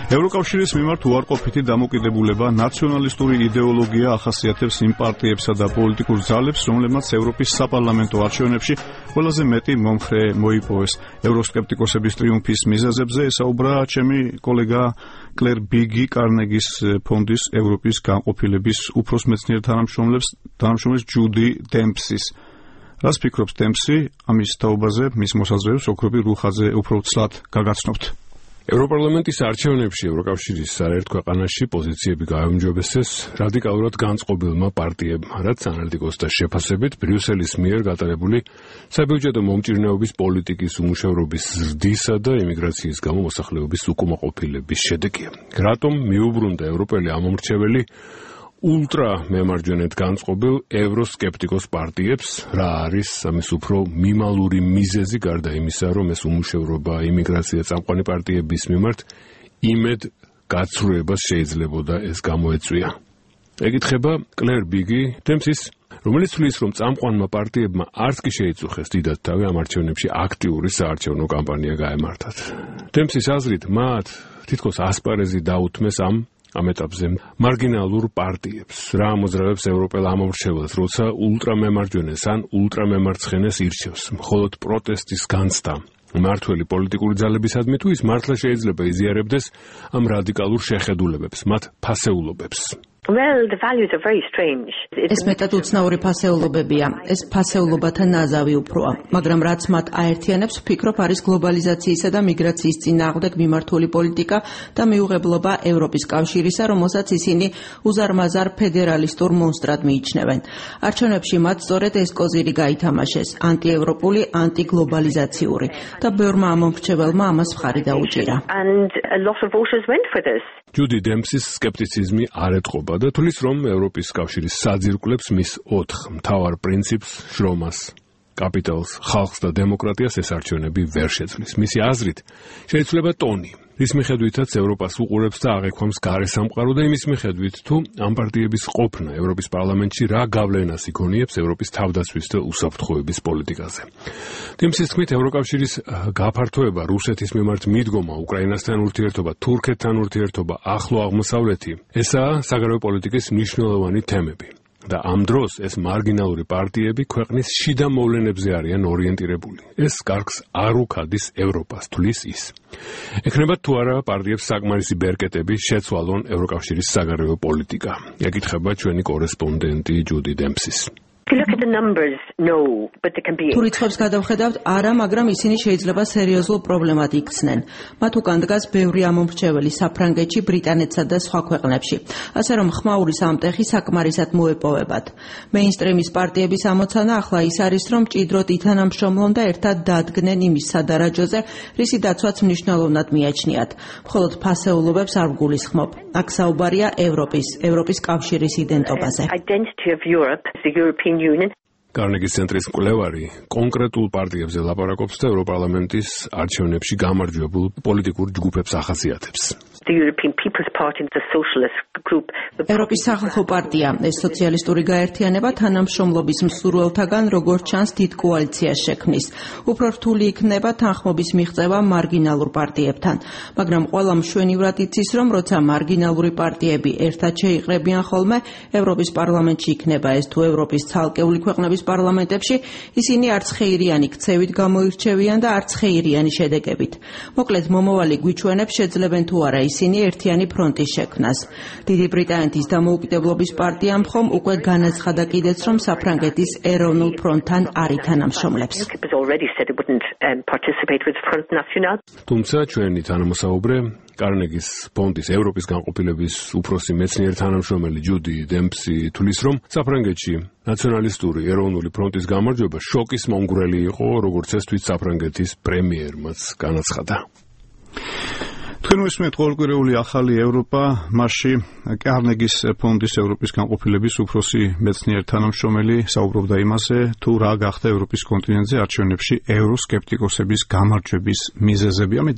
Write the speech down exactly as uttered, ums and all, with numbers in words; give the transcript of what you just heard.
ევროკავშირის მიმართ უარყოფითი დამოკიდებულება ნაციონალისტური იდეოლოგია ახასიათებს იმ პარტიებსა და პოლიტიკურ ძალებს, რომლებმაც ევროპის საპარლამენტო არჩევნებში ყველაზე მეტი მომხრე მოიპოვეს. ევროსკეპტიკოსების ტრიუმფის მიზეზებზე ესაუბრა ჩემი კოლეგა კლერ ბიგი კარნეგის ფონდის ევროპის განყოფილების უფროს მეცნიერ თანამშრომლის ჯუდი დემპსის. რას ფიქრობს დემპსი ამის თაობაზე, მის მოსაზრებებს ოქრობი რუხაძე უფრო ცლად გაგაცნობთ. ევროპარლამენტის არჩევნებში ევროკავშირის არაერთ ქვეყანაში პოზიციები გააუმჯობესეს რადიკალურად განწყობილმა პარტიებმა, რაც ანალიტიკოსთა შეფასებით ბრიუსელის მიერ გატარებული საბიუჯეტო მომჭირნეობის პოლიტიკის უმუშევრობის ზრდისა და იმიგრაციის გამო მოსახლეობის უკმაყოფილების შედეგია. რატომ მიუბრუნდა ევროპელი ამომრჩეველი ულტრა მემარჯვენედ განწყობილ ევროსკეპტიკოს პარტიებს, რა არის ამის უფრო მიმალური მიზეზი გარდა იმისა, რომ ეს უმუშევრობა, იმიგრაცია წამყვანი პარტიების მიმართ იმედ გაცრუებას შეიძლებოდა ეს გამოეწვია. ეკითხება კლერ ბიგი დემპსის, რომელიც თვლის, რომ წამყვანმა პარტიებმა არც კი შეიწუხეს დიდად თავი ამ არჩევნებში აქტიური საარჩევნო კამპანია გაემართათ. დემპსის აზრით, მათ თითქოს ასპარეზი დაუთმეს ამ ამ ეტაპზე მარგინალურ პარტიებს, რა ამოძრავებს ევროპელ ამომრჩეველს, როცა ულტრამემარჯვენეს ან ულტრამემარცხენეს ირჩევს, მხოლოდ პროტესტის განცდა მმართველი პოლიტიკური ძალებისადმი თუ ის მართლა შეიძლება იზიარებდეს ამ რადიკალურ შეხედულებებს, მათ ფასეულობებს. Well, the values are very strange. ეს მეტად უცნაური ფასეულობებია. ეს ფასეულობათა ნაზავი უფროა, მაგრამ რაც მათ აერთიანებს, ვფიქრობ, არის გლობალიზაციისა და მიგრაციის წინააღმდეგ მიმართული პოლიტიკა და მიუღებლობა ევროპის კავშირისა, რომელსაც ისინი უზარმაზარ ფედერალისტურ მონსტრად მიიჩნევენ. არჩევნებში მათ სწორედ ეს კოზირი გაითამაშეს, ანტიევროპული, ანტიგლობალიზაციური და ბევრმა ამომრჩეველმა ამას მხარი დაუჭირა. And a lot of voters went for this. ჯუდი დემპსის სკეპტიციზმი არ ეტყობა და თulis რომ ევროპის კავშირის საძირკვლებს მის ოთხ მთავარ პრინციპს, შრომას, კაპიტალს, ხალხს და დემოკრატიას ეს არჩევნები ვერ შეცვლის. მისი აზრით, შეიძლება ტონი, რის მიხედვითაც ევროპას უყურებს და აღექვამს გარესამყარო და იმის მიხედვით, თუ ამ პარტიების ყოფნა ევროპის პარლამენტში რა გავლენას იქონიებს ევროპის თავდაცვის და უსაფრთხოების პოლიტიკაზე. დემპსის თქმით, ევროკავშირის გაფართოება, რუსეთის მიმართ მიდგომა, უკრაინასთან ურთიერთობა, თურქეთთან ურთიერთობა, ახლო აღმოსავლეთი, ესაა საგარეო პოლიტიკის მნიშვნელოვანი თემები. და ამ დროს ეს მარგინალური პარტიები ქვეყნის შიდა მოვლენებზე არიან ორიენტირებული. ეს კარგს არ უქადის ევროპას, თulis ის. ექნება თუ არა პარტიებს საკმარისი ბერკეტები შეცვალონ ევროკავშირის საგარეო პოლიტიკა. ეკითხება ჩვენი კორესპონდენტი ჯუდი დემპსის. Look at the numbers, no, but they can be. თუ რიცხვებს გადავხედავთ, არა, მაგრამ ისინი შეიძლება სერიოზულ პრობლემად იქცნენ. მათ უკან დგას ბევრი ამომრჩეველი საფრანგეთში, ბრიტანეთსა და სხვა ქვეყნებში. ასე რომ ხმაური სამტეხი საკმარისად მოეპოვებათ. მეინსტრიმის პარტიების ამოცანა ახლა ის არის, რომ მჭიდროდ ითანამშრომლონ და ერთად დადგნენ იმის სადარაჯოზე, რისი დაცვაც მნიშვნელოვნად მიაჩნიათ. მხოლოდ ფასეულობებს არ ვგულისხმობ. აქ საუბარია ევროპის, ევროპის კავშირის იდენტობაზე. Identity of Europe, the European Union. კარნეგის ცენტრის მკვლევარი კონკრეტულ პარტიებზე ლაპარაკობს და ევროპარლამენტის არჩევნებში გამარჯვებულ პოლიტიკურ ჯგუფებს ახასიათებს. The European People's Party, the Socialist Group. ევროპის სახალხო პარტია, ეს სოციალისტური გაერთიანება თანამშრომლობის მსურველთაგან როგორც ჩანს დიდ კოალიციას შექმნის. უფრო რთული იქნება თანხმობის მიღწევა მარგინალურ პარტიებთან, მაგრამ ყველა მშვენივრად იცის, რომ როცა მარგინალური პარტიები ერთად შეიყრებიან ხოლმე, ევროპის პარლამენტში იქნება ეს თუ ევროპის ცალკეული ქვეყნების პარლამენტებში, ისინი არც ხეირიანი ქცევით გამოირჩევიან და არც ხეირიანი შედეგებით. მოკლედ მომავალი გვიჩვენებს შეძლებენ თუ არა ისინი ერთიანი ფრონტის შექმნას. დიდი ბრიტანეთის დამოუკიდებლობის პარტიამ ხომ უკვე განაცხადა კიდეც, რომ საფრანგეთის ეროვნულ ფრონტთან არ ითანამშრომლებს. თუმცა ჩვენი თანამოსაუბრე კარნეგის ფონდის ევროპის განყოფილების უფროსი მეცნიერ თანამშრომელი ჯუდი დემპსი თulis, რომ საფრანგეთში ნაციონალისტური ეროვნული ფრონტის გამარჯვება შოკის მომგვრელი იყო, როგორც ეს თვით საფრანგეთის პრემიერმაც განაცხადა. თქვენ უსმენთ ყოველკვირეული ახალი ევროპა, მასში კარნეგის ფონდის ევროპის განყოფილების უფროსი მეცნიერ თანამშრომელი საუბრობდა იმაზე, თუ რა გახდა ევროპის კონტინენტზე არჩევნებში ევროსკეპტიკოსების გამარჯვების მიზეზები. ამით